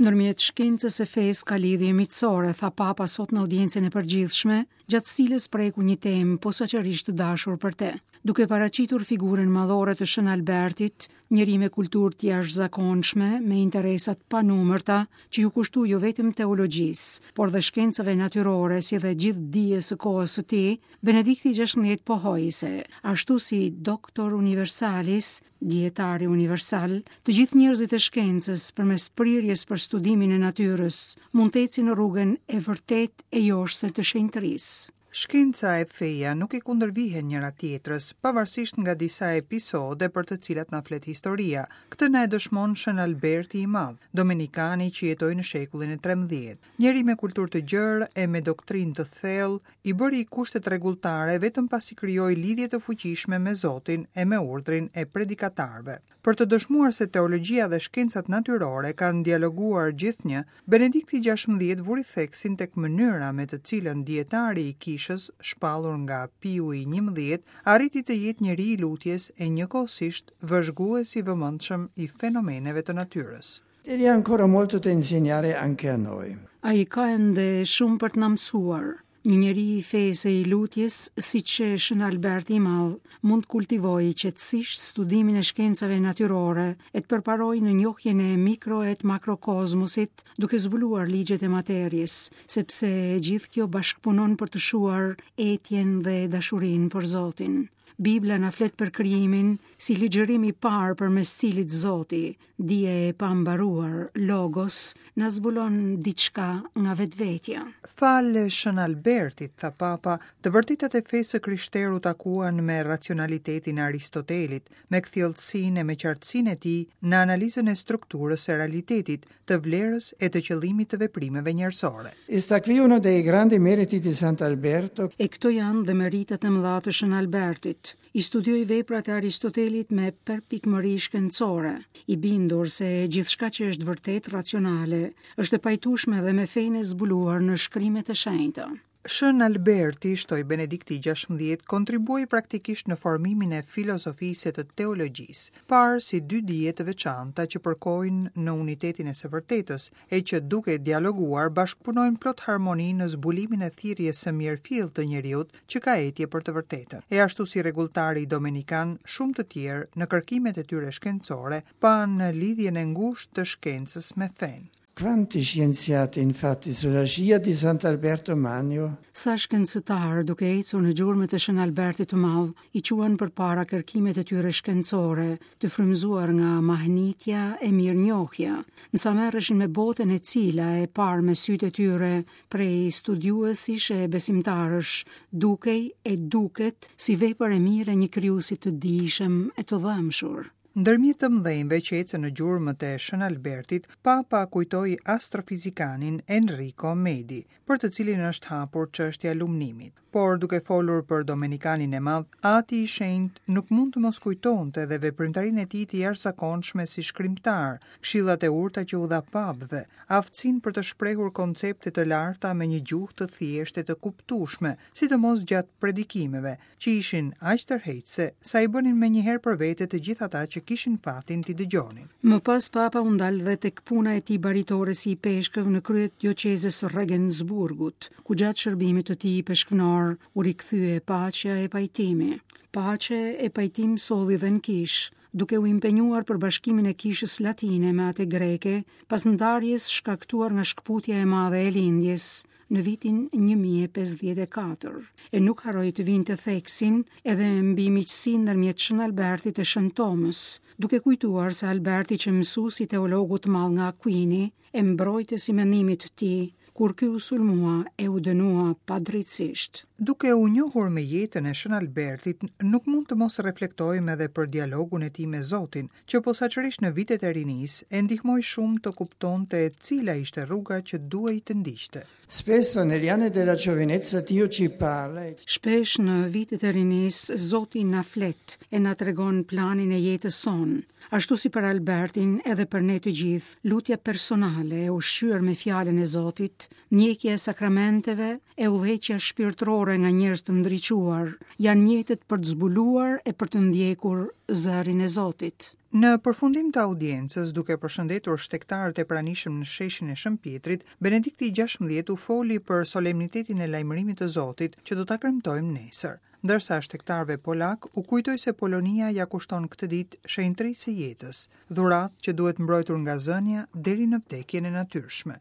Ndërmjet shkencës e fesë ka lidhje miqësore, tha Papa sot në audiencën e përgjithshme, gjatë së cilës preku një temë posaçërisht të dashur për te. Duke paraqitur figurën madhore të Shën Albertit, njeri me kulturë të jashtëzakonshme, me interesa të panumërta, që iu kushtua jo vetëm teologjisë, por dhe shkencave natyrore si dhe gjithë dijes së kohës së tij, Benedikti XVI pohoi se, ashtu si Doctor Universalis, Dijetari universal, të gjithë njerëzit e shkencës, përmes prirjes për studimin e natyrës, mund të ecin në rrugën e vërtetë e joshëse të shenjtërisë. Shkenca e feja nuk i kundërvihen njëra-tjetrës, pavarësisht nga disa episode për të cilat na flet historia. Këtë na e dëshmon Shën Alberti i Madh, domenikani që jetoi në shekullin e 13. Njeri me kulturë të gjerë e me doktrinë të thellë, i bëri kushtet rregulltare vetëm pasi krijoi lidhje të fuqishme me Zotin e me urdhrin e predikatarëve. Për të dëshmuar se teologjia dhe shkencat natyrore kanë dialoguar gjithnjë, Benedikti 16 vuri theksin tek mënyra me të cilën dijetari i kishës, shpallur nga Piu i 11, arriti të jetë njeri i lutjes e njëkohësisht vëzhgues i vëmendshëm i fenomeneve të natyrës. Egli ha ancora molto da insegnare anche a noi. Ai ka ende shumë për të na mësuar. Një njeri i fesë e i lutjes, siç qe Shën Alberti i Madh, mund të kultivojë qetësisht studimin e shkencave natyrore e të përparojë në njohjen e mikro e të makrokozmosit, duke zbuluar ligjet e materies, sepse e gjithë kjo bashkëpunon për të shuar etjen dhe dashurinë për Zotin. Bibla na flet për krijimin si ligjërim i parë përmes cilit Zoti, dije e pambaruar, Logos, na zbulon diçka nga vetvetja. Falë Shën Albertit, tha Papa, të vërtetat e fesë së krishterë u takuan me racionalitetin e Aristotelit, me kthjelltësinë e me qartësinë e tij në analizën e strukturës së realitetit, të vlerës e të qëllimit të veprimeve njerëzore. E sta qui uno dei grandi meriti di Sant'Alberto. E këto janë dhe meritat e mëdha të Shën Albertit. I studioi veprat e Aristotelit me përpikmëri shkencore, i bindur se gjithçka që është vërtet racionale është e pajtueshme dhe me fenë e zbuluar në shkrimet e shenjta. Shën Alberti, shtoi Benedikti XVI, kontribuoi praktikisht në formimin e filozofisë e të teologjisë, parë si dy dije të veçanta që përkojnë në unitetin e së vërtetës, e që duke dialoguar bashkëpunojnë plot harmoni në zbulimin e thirrjes së mirëfilltë të njeriut që ka etje për të vërtetën. E ashtu si rregulltari domenikan, shumë të tjerë, në kërkimet e tyre shkencore, panë lidhjen e ngushtë të shkencës me fenë. Quanti scienziati infatti sulla scia di Sant'Alberto Magno Sa shkencëtarë, duke ecur në gjurmët e Shën Albertit të Madh, i çuan përpara kërkimet e tyre shkencore, të frymëzuar nga mahnitja e mirënjohja, ndërsa merreshin me botën e cila e parë me sytë e tyre prej studiuesish e besimtarësh, dukej e duket si vepër e mirë e një krijuesi të dijshëm e të dhembshur. Ndërmjet të mëdhenjve që ecën në gjurmët e Shën Albertit, Papa kujtoi astrofizikanin Enrico Medi, për të cilin është hapur çështja e lumnimit. Por duke folur për Domenikanin e Madh, Ati i Shenjtë nuk mund të mos kujtonte dhe veprimtarinë e tij të jashtëzakonshme si shkrimtar, këshillat e urta që u dha papëve, aftësinë për të shprehur koncepte të larta me një gjuhë të thjeshtë e të kuptueshme, sidomos gjatë predikimeve, që ishin aq tërheqëse, sa i bënin menjëherë për vete të gjithë ata që kishin fatin t'i dëgjonin. Më pas Papa u ndal dhe tek puna e tij baritore si ipeshkëv në krye të dioqezës së Regensburgut, ku gjatë shërbimit të tij ipeshkvnor u rikthye paqja e pajtimi. Paqe e pajtim solli dhe në kishë, duke u impenjuar për bashkimin e kishës latine me atë greke pas ndarjes shkaktuar nga shkëputja e madhe e lindjes në vitin 1054, e nuk harroi të vinte theksin edhe mbi miqësinë ndërmjet Shën Albertit e Shën Tomës, duke kujtuar se Alberti qe mësues i teologut të madh nga Aquini e mbrojtës i mendimit të tij, kur ky u sulmua e u dënua padrejtësisht. Duke u njohur me jetën e Shën Albertit, nuk mund të mos reflektojmë edhe për dialogun e tij me Zotin, që posaçërisht në vitet e rinisë e ndihmoi shumë të kuptonte cila ishte rruga që duhej të ndiqte. Spesso negli anni della giovinezza Dio ci parla e Shpesh në vitet e rinisë Zoti na flet e na tregon planin e jetës sonë. Ashtu si për Albertin, edhe për ne të gjithë, lutja personale e ushqyer me fjalën e Zotit, ndjekja e sakramenteve e udhëheqja shpirtërore. shpirtërore nga njerëz të ndriçuar janë mjetet për të zbuluar e për të ndjekur zërin e Zotit. Në përfundim të audiencës, duke përshëndetur shtegtarët e pranishëm në sheshin e Shën Pjetrit, Benedikti i 16 u foli për solemnitetin e lajmërimit të Zotit, që do ta kremtojmë nesër. Ndërsa shtegtarëve polakë u kujtoi se Polonia ia kushton këtë ditë shenjtërisë së jetës, dhuratë që duhet mbrojtur nga zënia deri në vdekjen e natyrshme.